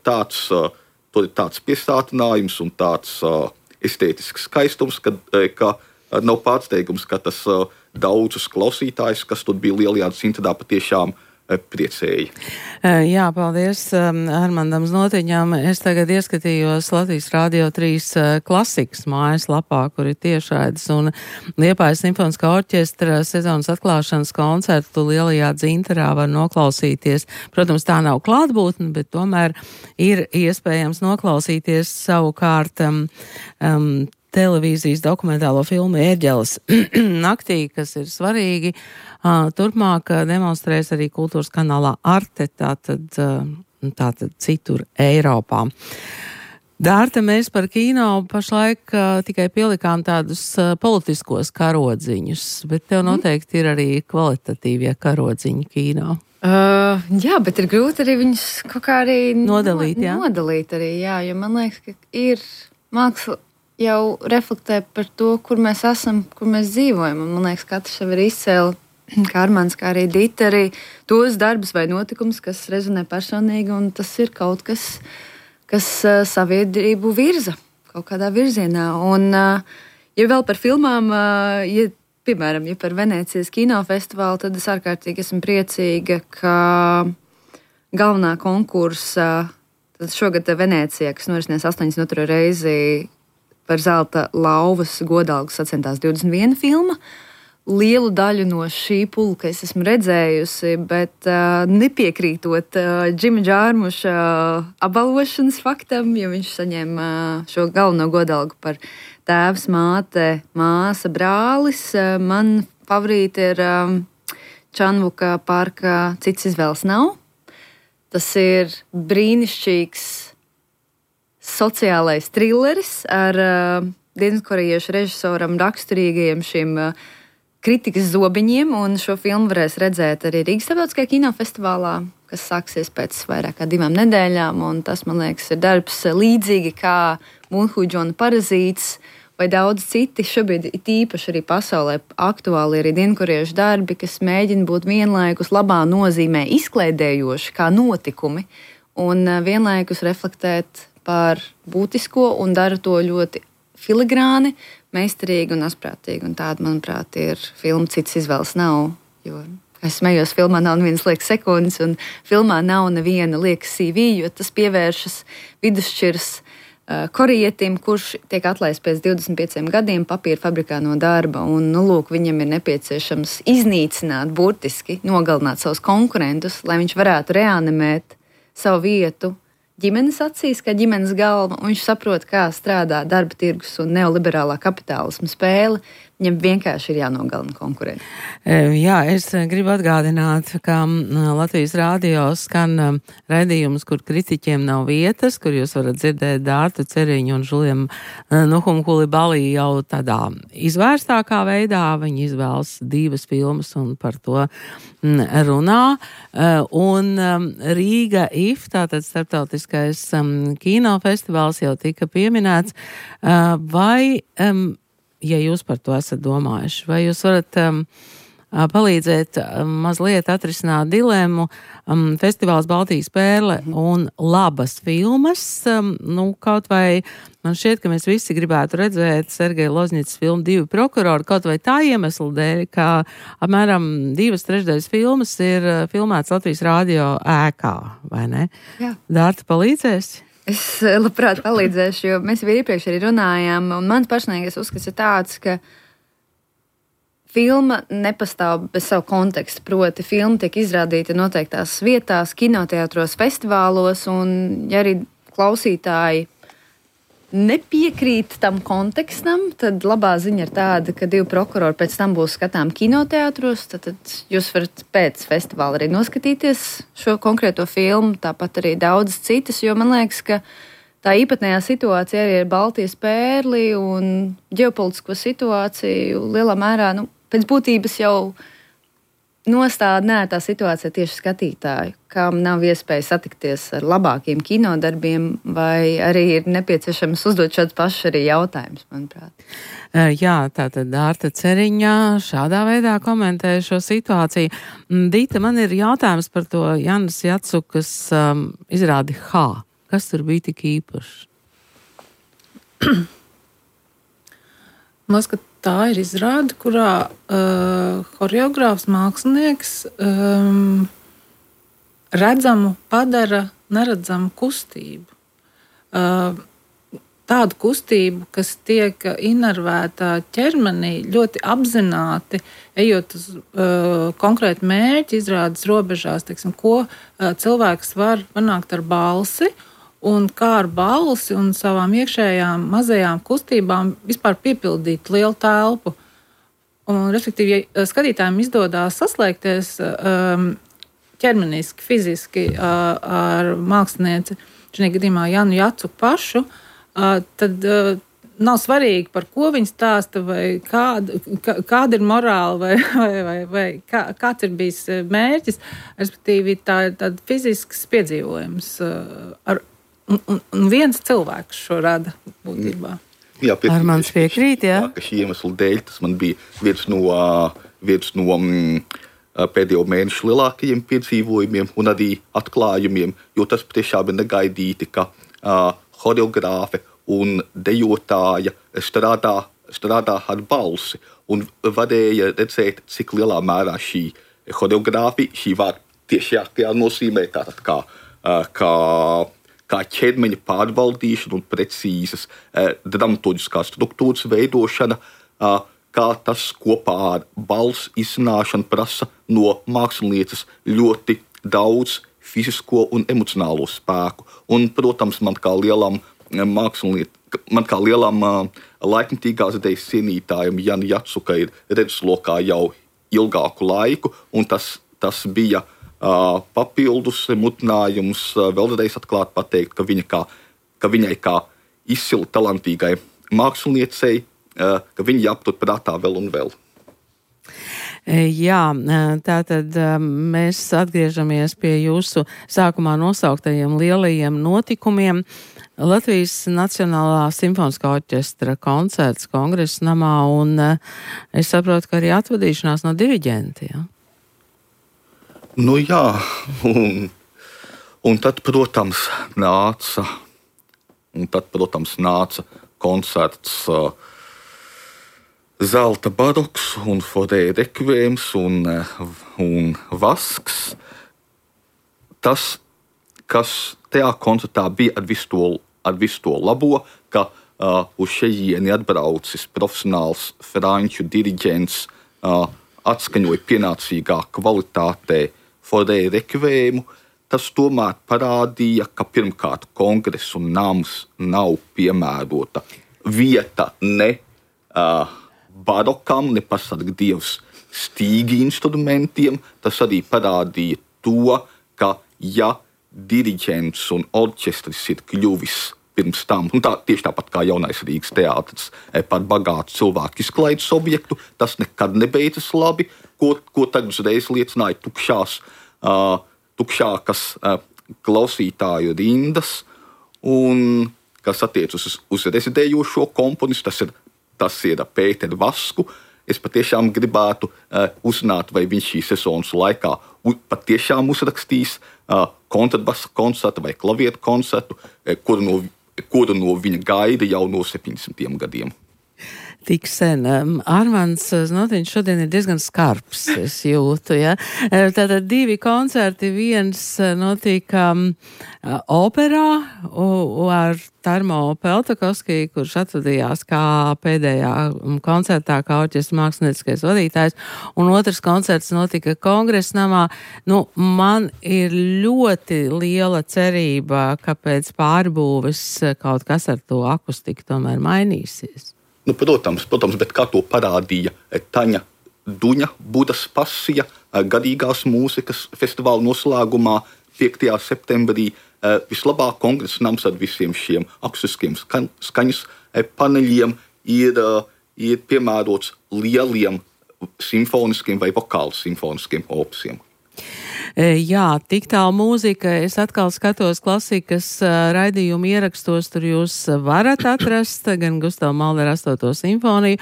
tāds, uh, tur ir tāds piesātinājums un tāds uh, estētisks skaistums, ka, ka uh, nav pārsteigums, ka tas uh, daudzus klausītājus, kas tur bija Lielajā Dzintarā, patiešām priecēja. Jā, paldies Armandam Znotiņam. Es tagad ieskatījos Latvijas Rādio trīs klasikas mājaslapā, kur ir tiešraides, un Liepājas simfoniskā orķestra sezonas atklāšanas koncertu Lielajā Dzintarā var noklausīties. Protams, tā nav klātbūtne, bet tomēr ir iespējams noklausīties savukārt um, um, televīzijas dokumentālo filmu Ērģeles naktī, kas ir svarīgi. Uh, turpmāk uh, demonstrēs arī kultūras kanālā Arte, tātad, uh, tātad citur Eiropā. Dārta, mēs par kino pašlaik uh, tikai pielikām tādus uh, politiskos karodziņus, bet tev noteikti ir arī kvalitatīvie karodziņi kino. Uh, jā, bet ir grūti arī viņus kaut kā arī nodalīt, jā? Nodalīt arī, jā, jo man liekas, ka ir māksla jau reflektē par to, kur mēs esam, kur mēs dzīvojam. Un man liekas, katrs jau ir izcēli, kā Armands, kā arī Dita, arī tos darbus vai notikumus, kas rezonē personīgi, un tas ir kaut kas, kas uh, sabiedrību virza kaut kādā virzienā. Un, uh, ja vēl par filmām, uh, ja, piemēram, ja par Venēcijas kinofestivālu, tad es ārkārtīgi esmu priecīga, ka galvenā konkursa, tad šogad Venēcijā, kas norisinās astoņdesmit otro reizi par zelta lauvas godalgu sacentās divdesmit viena filma. Lielu daļu no šī pulka es esmu redzējusi, bet uh, nepiekrītot uh, Džima Džārmuša uh, apbalvošanas faktam, jo viņš saņēma uh, šo galveno godalgu par tēvs, māte, māsa, brālis. Uh, man favorīti ir um, Čanvuka Parka Cits izvēles nav. Tas ir brīnišķīgs sociālais trilleris ar uh, dienvidkorejiešu režisoram raksturīgajiem šim uh, kritikas zobiņiem, un šo filmu varēs redzēt arī Rīgas starptautiskajā kinofestivālā, kas sāksies pēc vairāk kā divām nedēļām, un tas, man liekas, ir darbs līdzīgi kā Mūnhuģona Parazīts vai daudz citi. Šobrīd ir īpaši arī pasaulē aktuāli arī dienvidkorejiešu darbi, kas mēģina būt vienlaikus labā nozīmē izklaidējoši kā notikumi, un vienlaikus reflektēt par būtisko un dara to ļoti filigrāni, meistarīgi un asprātīgi. Un tāda, manuprāt, ir filma Cits izvēles nav. Jo, es smējos, filmā nav nevienas liekas sekundes, un filmā nav neviena liekas C V, jo tas pievēršas vidusšķiras uh, korejietim, kurš tiek atlaists pēc divdesmit pieciem gadiem papīra fabrikā no darba. Un, nu, lūk, viņam ir nepieciešams iznīcināt, burtiski nogalināt savus konkurentus, lai viņš varētu reanimēt savu vietu ģimenes acīs, kā ģimenes galva, un viņš saprot, kā strādā darba tirgus un neoliberālā kapitālisma spēle. Viņam vienkārši ir jānogalina konkurenti. Jā, es gribu atgādināt, ka Latvijas Rādio skan raidījums, kur kritiķiem nav vietas, kur jūs varat dzirdēt Dārtu Ceriņu un Žuliem Nuhumu Kulibalī jau tādā izvērstākā veidā. Viņi izvēlas divas filmas un par to runā. Un Rīga I F, tātad starptautiskais kinofestivāls, jau tika pieminēts. Vai ja jūs par to esat domājuši, vai jūs varat um, palīdzēt um, mazliet atrisināt dilemmu um, festivāls Baltijas pērle un labas filmas, um, nu, kaut vai man šķiet, ka mēs visi gribētu redzēt Sergeja Lozņicas filmu Divi prokurori, kaut vai tā iemesla dēļ, ka apmēram divas trešdaļas filmas ir filmētas Latvijas Rādio ēkā, vai ne? Jā. Dārta palīdzēs? Es labprāt palīdzēšu, jo mēs jau iepriekš arī runājām, un mans personīgais uzskats ir tāds, ka filma nepastāv bez savu kontekstu, proti filma tiek izrādīta noteiktās vietās, kinoteātros, festivālos, un ja arī klausītāji nepiekrīt tam kontekstam, tad labā ziņa ir tāda, ka Divi prokurori pēc tam būs skatām kinoteātros, tad, tad jūs varat pēc festivāla arī noskatīties šo konkrēto filmu, tāpat arī daudz citas, jo man liekas, ka tā īpatnējā situācija arī ir Baltijas pērli un ģeopolitisko situāciju lielā mērā, nu, pēc būtības jau nostāda nērtā situācija tieši skatītāju, kam nav iespēja satikties ar labākiem kinodarbiem, vai arī ir nepieciešams uzdot šāds pašs arī jautājums, manuprāt. Jā, tātad Dārta Ceriņā šādā veidā komentē šo situāciju. Dita, man ir jautājums par to Janas Jacukas um, izrādi H. Kas tur bija tik īpašs? Man liekas, ka tā ir izrāde, kurā uh, horeogrāfs mākslinieks um, redzamu padara neredzamu kustību. Uh, tādu kustību, kas tiek inervēta ķermenī ļoti apzināti, ejot uz uh, konkrētu mērķi, izrādes robežās, teiksim, ko uh, cilvēks var panākt ar balsi, un kā ar balsi un savām iekšējām mazajām kustībām vispār piepildīt lielu telpu. Un, respektīvi, ja skatītājiem izdodās saslēgties um, ķermeniski, fiziski uh, ar mākslinieci, šajā gadījumā Janu Jacu pašu, uh, tad uh, nav svarīgi, par ko viņi stāsta, vai kāda, kā, kāda ir morāla, vai, vai, vai, vai kā, kāds ir bijis mērķis. Respektīvi, tā ir tāds fizisks piedzīvojums. Uh, ar, un, un, un viens cilvēks šo rada būtībā. Jā, ar mans piekrīt, jā. Tā, ka šī iemesla dēļ tas man bija viens no, viens no mm, pēdējo mēnešu lielākajiem piedzīvojumiem un arī atklājumiem, jo tas patiešām ir negaidīti, ka uh, horeogrāfe un dejotāja strādā, strādā ar balsi un varēja redzēt, cik lielā mērā šī horeogrāfija, šī vārda tiešākajā nozīmē, tātad kā, uh, kā kā ķermeņa pārvaldīšana un precīzas eh, dramaturgiskās struktūras veidošana, eh, kā tas kopā ar balss iznāšanu prasa no mākslinieces ļoti daudz fizisko un emocionālo spēku. Un, protams, man kā lielam māksliniet, man kā lielam eh, laikmetīgās idejas cienītājam Janu Jacu, ka ir redzeslokā jau ilgāku laiku, un tas, tas bija Uh, papildus mutinājums uh, vēlreiz atklāt pateikt, ka, viņa kā, ka viņai kā izcili talantīgai māksliniecei, uh, ka viņa jāaptur prātā vēl un vēl. Jā, tātad mēs atgriežamies pie jūsu sākumā nosauktajiem lielajiem notikumiem. Latvijas Nacionālā simfoniskā orķestra koncerts Kongresa namā, un es saprotu, ka arī atvadīšanās no diriģenta, ja? Nu jā, un, un tad, protams, nāca, un tad, protams, nāca koncerts uh, Zelta baroks un Forē rekvējums un, uh, un Vasks. Tas, kas tajā koncertā bija ar visu to, ar visu to labo, ka uh, uz šejieni atbraucis profesionāls franču diriģents, uh, atskaņoja pienācīgā kvalitātē Forē rekvējumu, tas tomēr parādīja, ka pirmkārt Kongresa nams nav piemērota vieta ne uh, barokam, ne pasargdievs stīgi instrumentiem. Tas arī parādīja to, ka ja diriģents un orķestris ir kļuvis pirms tam, un tā, tieši tāpat kā Jaunais Rīgas teātris, par bagātu cilvēku izklaides objektu, tas nekad nebeidzas labi, ko, ko tagad uzreiz liecināja tukšās, uh, tukšākas uh, klausītāju rindas, un kas attiec uz, uz rezidējošo komponistu, tas ir, tas ir Pēteru Vasku. Es patiešām gribētu uh, uzzināt, vai viņš šī sezonas laikā u, patiešām uzrakstīs uh, kontrabasa koncertu vai klavieru koncertu, uh, kuru no kuru no viņa gaida jau no septiņdesmitiem gadiem. Tik sen. Armands Znotiņš šodien ir diezgan skarbs, es jūtu, ja. Tātad divi koncerti, viens notika um, operā u, ar Tarmo Peltakovski, kurš atvadījās kā pēdējā koncertā, kā orķestra mākslinieckais vadītājs, un otrs koncerts notika Kongresa namā. Nu, man ir ļoti liela cerība, ka pēc pārbūves kaut kas ar to akustiku tomēr mainīsies. Nu, protams, protams, bet kā to parādīja Taņa Duņa Budas pasija garīgās mūzikas festivāla noslēgumā piektajā septembrī. Vislabāk Kongresa nams ar visiem šiem akustiskiem skaņas paneļiem ir, ir piemērots lieliem simfoniskiem vai vokāli simfoniskiem opusiem. Jā, tik tālu mūzika. Es atkal skatos klasikas raidījumu ierakstos, tur jūs varat atrast gan Gustava Mahlera astoto simfoniju,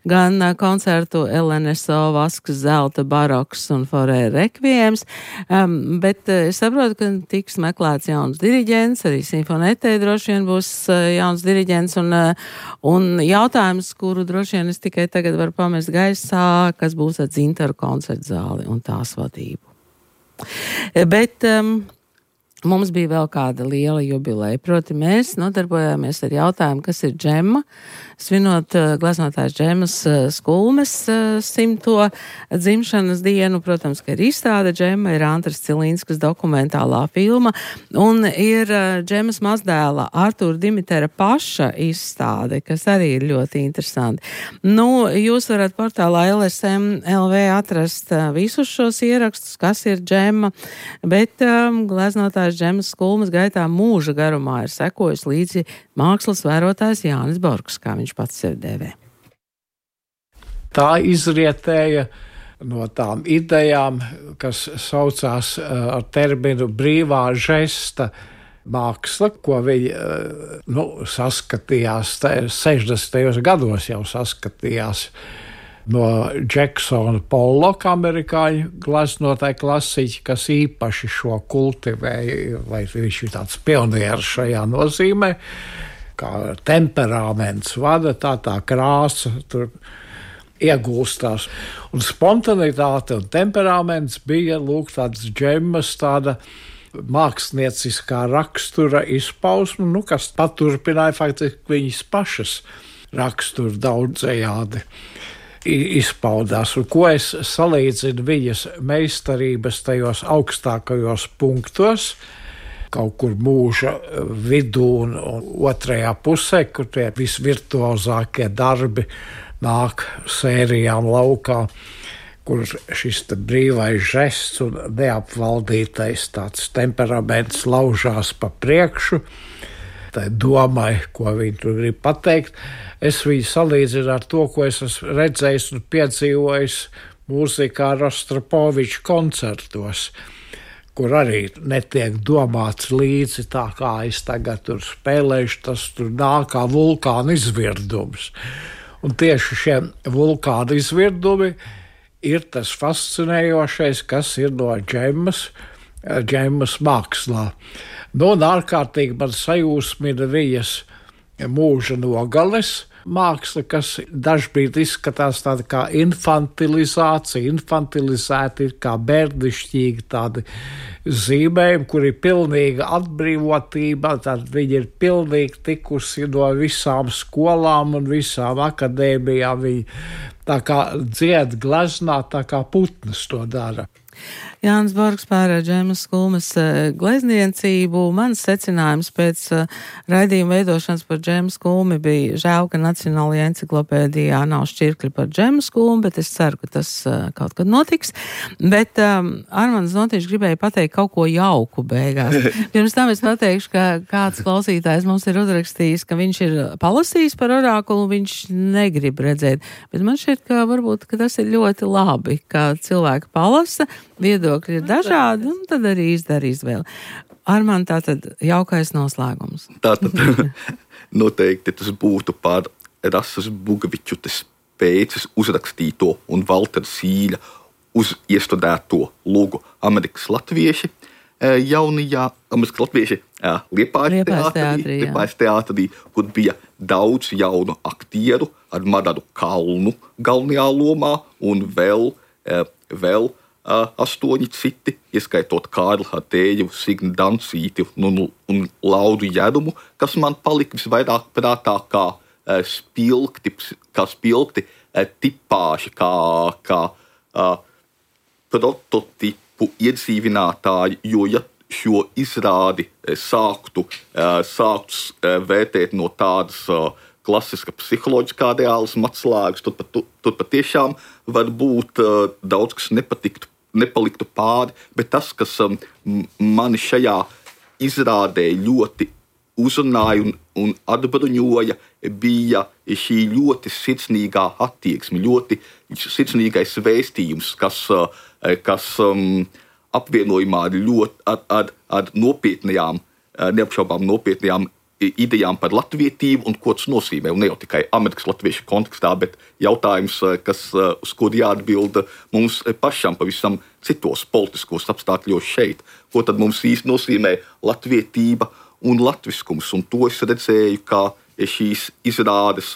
gan koncertu L N S O Vasks, Zelta baroks un Forē rekvējums. Um, bet es saprotu, ka tiks meklēts jauns diriģents, arī simfonetē droši vien būs jauns diriģents, un, un jautājums, kuru droši vien es tikai tagad varu pamest gaisā, kas būs ar Dzintaru koncertzāli un tās vadību. Bet um, mums bija vēl kāda liela jubileja. Proti, mēs nodarbojāmies ar jautājumu, kas ir džemma. Svinot uh, gleznotājs Džemmas uh, Skulmes uh, simto dzimšanas dienu, protams, ka ir izstāde Džemma, ir Antras Cilīnskas dokumentālā filma, un ir uh, Džemmas mazdēla Artūra Dimitera paša izstāde, kas arī ir ļoti interesanti. Nu, jūs varat portālā L S M L V atrast uh, visus šos ierakstus, kas ir Džemma, bet um, gleznotājs Džemmas Skulmes gaitā mūža garumā ir sekojis līdzi mākslas vērotājs Jānis Borgs, kā viņš pats sevi dēvē. Tā izrietēja no tām idejām, kas saucās ar terminu brīvā žesta māksla, ko viņi nu, saskatījās, sešdesmitajos gados jau saskatījās no Jacksona Pollocka, amerikāņu gleznotāja klasiķi, kas īpaši šo kultivēja, vai viņš ir tāds pionieris šajā nozīmē, kā temperaments vada, tā tā krāsa tur iegūstās. Un spontanitāte un temperaments bija, lūk, tāds Džemmas, tāda mākslinieciskā rakstura izpausme, nu, kas paturpināja faktiski viņas pašas raksturu daudzējādi izpaudās. Un ko es salīdzinu viņas meistarības tajos augstākajos punktos, kaut kur mūža vidū un, un otrajā pusē, kur tie visvirtuozākie darbi nāk sērijām laukā, kur šis brīvais žests un neapvaldītais tāds temperaments laužās pa priekšu, tai domai, ko viņi tur grib pateikt. Es viņu salīdzinu ar to, ko es esmu redzējis un piedzīvojis mūzikā Rostropoviča koncertos, kur arī netiek domāts līdzi tā, kā es tagad tur spēlēšu, tas tur nāk kā vulkāna izvirdums. Un tieši šie vulkāna izvirdumi ir tas fascinējošais, kas ir no Džemmas, Džemmas mākslā. Nu, un ārkārtīgi man sajūsmina viņas mūža nogales māksla, kas dažbrīd izskatās tāda kā infantilizācija, infantilizēta ir kā bērnišķīgi tādi zīmējumi, kur ir pilnīga atbrīvotība, tad viņi ir pilnīgi tikusi no visām skolām un visām akadēmijām, viņi tā kā dzied gleznā, tā kā putnas to dara. Jānis Borgs par Džemmas Skulmes glezniecību. Mans secinājums pēc raidījuma veidošanas par Džemmas Skulmi bija žēl, ka Nacionālajā enciklopēdijā nav šķirkļi par Džemmas Skulmi, bet es ceru, ka tas kaut kad notiks. Bet um, Armands Notiņš gribēja pateikt kaut ko jauku beigās. Pirms tam es pateikšu, ka kāds klausītājs mums ir uzrakstījis, ka viņš ir palasījis par orakulu, viņš negrib redzēt. Bet man šķiet, ka varbūt ka tas ir ļoti labi, ka cilvēki palasa, viedokļi ir dažādi, un tad arī izdara izvēli. Armand, tātad jaukais noslēgums. Tātad noteikti tas būtu par Rasas Bugavičutes pēces uzrakstīto un Valtera Sīļa uz iestudēto lugu Amerikas latvieši jaunajā, Amerikas latvieši Liepājas teātrī, Liepājas teātrī, kur bija daudz jaunu aktieru ar Mararu Kalnu galvenajā lomā un vēl, vēl Uh, astoņi citi, ieskaitot Kārli Hatējevu, Signi Dancīti un, un Lauru Jerumu, kas man palika visvairāk prātā kā uh, spilgti, kā spilgti uh, tipāži, kā, kā uh, prototipu iedzīvinātāji, jo ja šo izrādi uh, sāktu, uh, sāktu uh, vērtēt no tādas uh, klasiska psiholoģiskā reālisma atslēgas, tur, pat, tur patiešām var būt uh, daudz, kas nepatiktu nepaliktu pāri, bet tas, kas um, mani šajā izrādē ļoti uzrunāja un, un atbruņoja, bija šī ļoti sirsnīgā attieksme, ļoti sirsnīgais vēstījums, kas, uh, kas um, apvienojumā ar, ļoti, ar, ar, ar nopietnajām, neapšaubām nopietnajām idejām par latvietību un ko tas nozīmē. Un ne jau tikai Amerikas latviešu kontekstā, bet jautājums, kas, uz kuru jāatbild mums pašam pavisam citos politiskos apstākļos šeit. Ko tad mums īsti nozīmē latvietība un latviskums? Un to es redzēju, kā šīs izrādes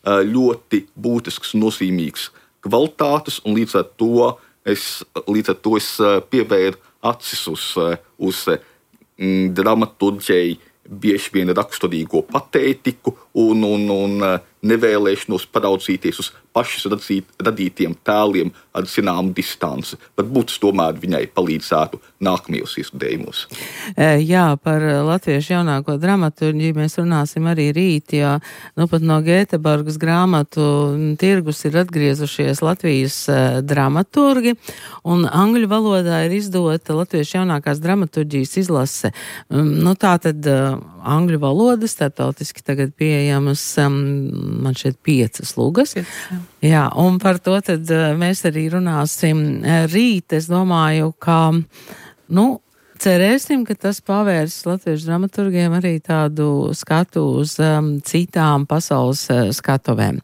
ļoti būtisks, nozīmīgs kvalitātes, un līdz ar to es līdz ar to es pievēru acis uz, uz mm, dramaturģiju, bieži vien raksturīgo patētiku un, un, un nevēlēšanos paraudzīties uz pašas radzīt, radītiem tēliem ar zināmu distanci. Varbūt tas tomēr viņai palīdzētu nākamajos iestudējumos. Jā, par latviešu jaunāko dramaturģiju mēs runāsim arī rīt, jo nu pat no Gēteborgas grāmatu tirgus ir atgriezušies Latvijas dramaturgi, un angļu valodā ir izdota latviešu jaunākās dramaturģijas izlase. Nu tā tad angļu valoda starptautiski tagad pieejamas, man šeit piecas lugas. Jā, un par to tad mēs arī runāsim rīt. Es domāju, ka, nu, cerēsim, ka tas pavērs latviešu dramaturgiem arī tādu skatu uz um, citām pasaules uh, skatuvēm.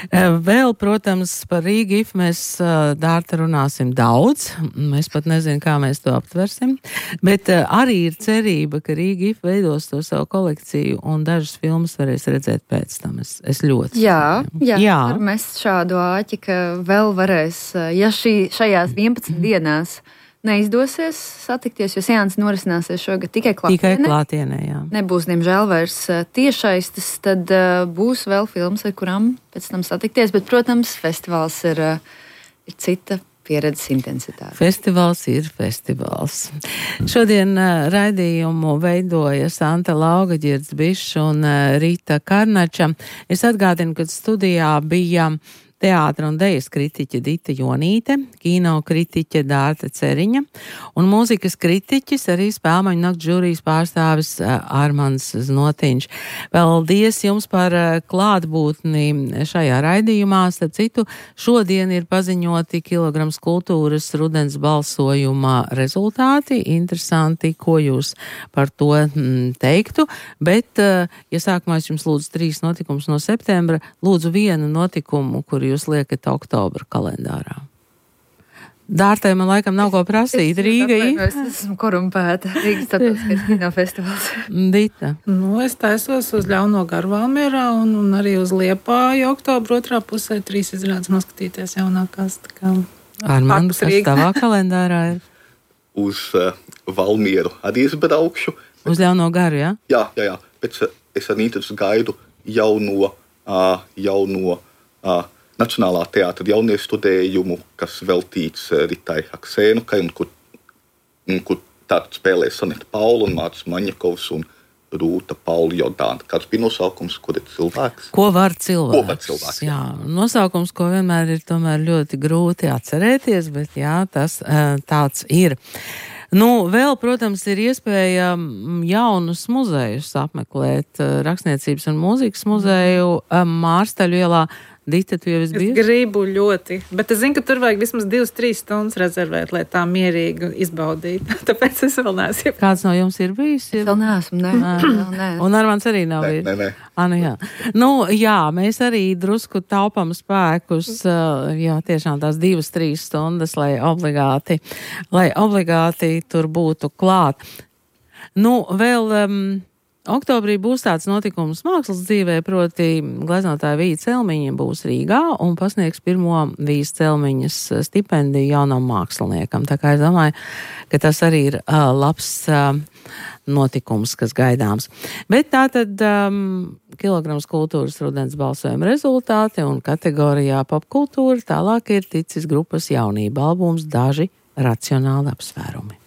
Uh, vēl, protams, par Rīga-I F mēs uh, Dārta runāsim daudz. Mēs pat nezinu, kā mēs to aptversim. Bet uh, arī ir cerība, ka Rīga-I F veidos to savu kolekciju un dažas filmas varēs redzēt pēc tam. Es, es ļoti. Jā, jā, jā. Var mest šādu āķi, ka vēl varēs, ja šī, šajās vienpadsmit dienās neizdosies satikties, jo seanss norisināsies šogad tikai klātienē. Tikai klātienē, jā. Nebūs, diemžēl, vairs tiešaistes, tad uh, būs vēl filmas, ar kurām pēc tam satikties, bet, protams, festivāls ir, uh, ir cita pieredzes intensitāte. Festivāls ir festivāls. Šodien uh, raidījumu veidoja Santa Lauga, Ģirds Bišs un uh, Rīta Karnača. Es atgādinu, ka studijā bija teātra un dejas kritiķe Dita Jonīte, kino kritiķe Dārta Ceriņa un mūzikas kritiķis arī Spēlmaņu nakts žūrijas pārstāvis Armands Znotiņš. Paldies jums par klātbūtni šajā raidījumā. Starp citu, šodien ir paziņoti Kilograms kultūras rudens balsojuma rezultāti. Interesanti, ko jūs par to teiktu. Bet, ja sākumā es jums lūdzu trīs notikumus no septembra, lūdzu vienu notikumu, kur jūs liekat oktobra kalendārā. Dārtai man laikam nav ko prasīt. Rīga-I F. Es esmu korumpēta. Rīgas starptautiskais kino festivāls. Dita. Nu, es taisos uz Ļauno garu Valmierā un, un arī uz Liepāju oktobra otrā pusē trīs izrādes noskatīties jaunākās. Armand, kas tavā kalendārā ir? Uz uh, Valmieru arī es braukšu. Uz Ļauno garu, jā? Jā, jā, jā. Pēc uh, es ar Nītas gaidu jauno, uh, jauno uh, Nacionālā teātra jauniestudējumu, kas veltīts Ritai Haksēnukai, un kur, un kur tātad spēlē Sanita Paula un Mārcis Maņakovs un Rūta Paula Jordāna. Kāds bija nosaukums, kur ir cilvēks? Ko var cilvēks? Ko var cilvēks? Jā, nosaukums, ko vienmēr ir tomēr ļoti grūti atcerēties, bet jā, tas tāds ir. Nu, vēl, protams, ir iespēja jaunus muzejus apmeklēt, Rakstniecības un mūzikas muzeju Mārstaļu ielā. Dita, tu jau esi bijusi? Es gribu ļoti, bet es zinu, ka tur vajag vismaz divas, trīs stundas rezervēt, lai tā mierīgi izbaudītu. Tāpēc es vēl neesmu. Kāds no jums ir bijis? Es vēl neesmu, ne. Vēl ne. Un Armands arī nav bijis? Nē, nē. Anu, jā. Nu, jā, mēs arī drusku taupam spēkus, jā, tiešām tās divas, trīs stundas, lai obligāti, lai obligāti tur būtu klāt. Nu, vēl... Um, Oktobrī būs tāds notikums mākslas dzīvē, proti gleznotāja Vija Celmiņa būs Rīgā un pasniegs pirmo Vijas Celmiņas stipendiju jaunam māksliniekam. Tā kā es domāju, ka tas arī ir uh, labs uh, notikums, kas gaidāms. Bet tātad um, Kilograms kultūras rudens balsojuma rezultāti un kategorijā popkultūra tālāk ir ticis grupas jaunība albums Daži racionāli apsvērumi.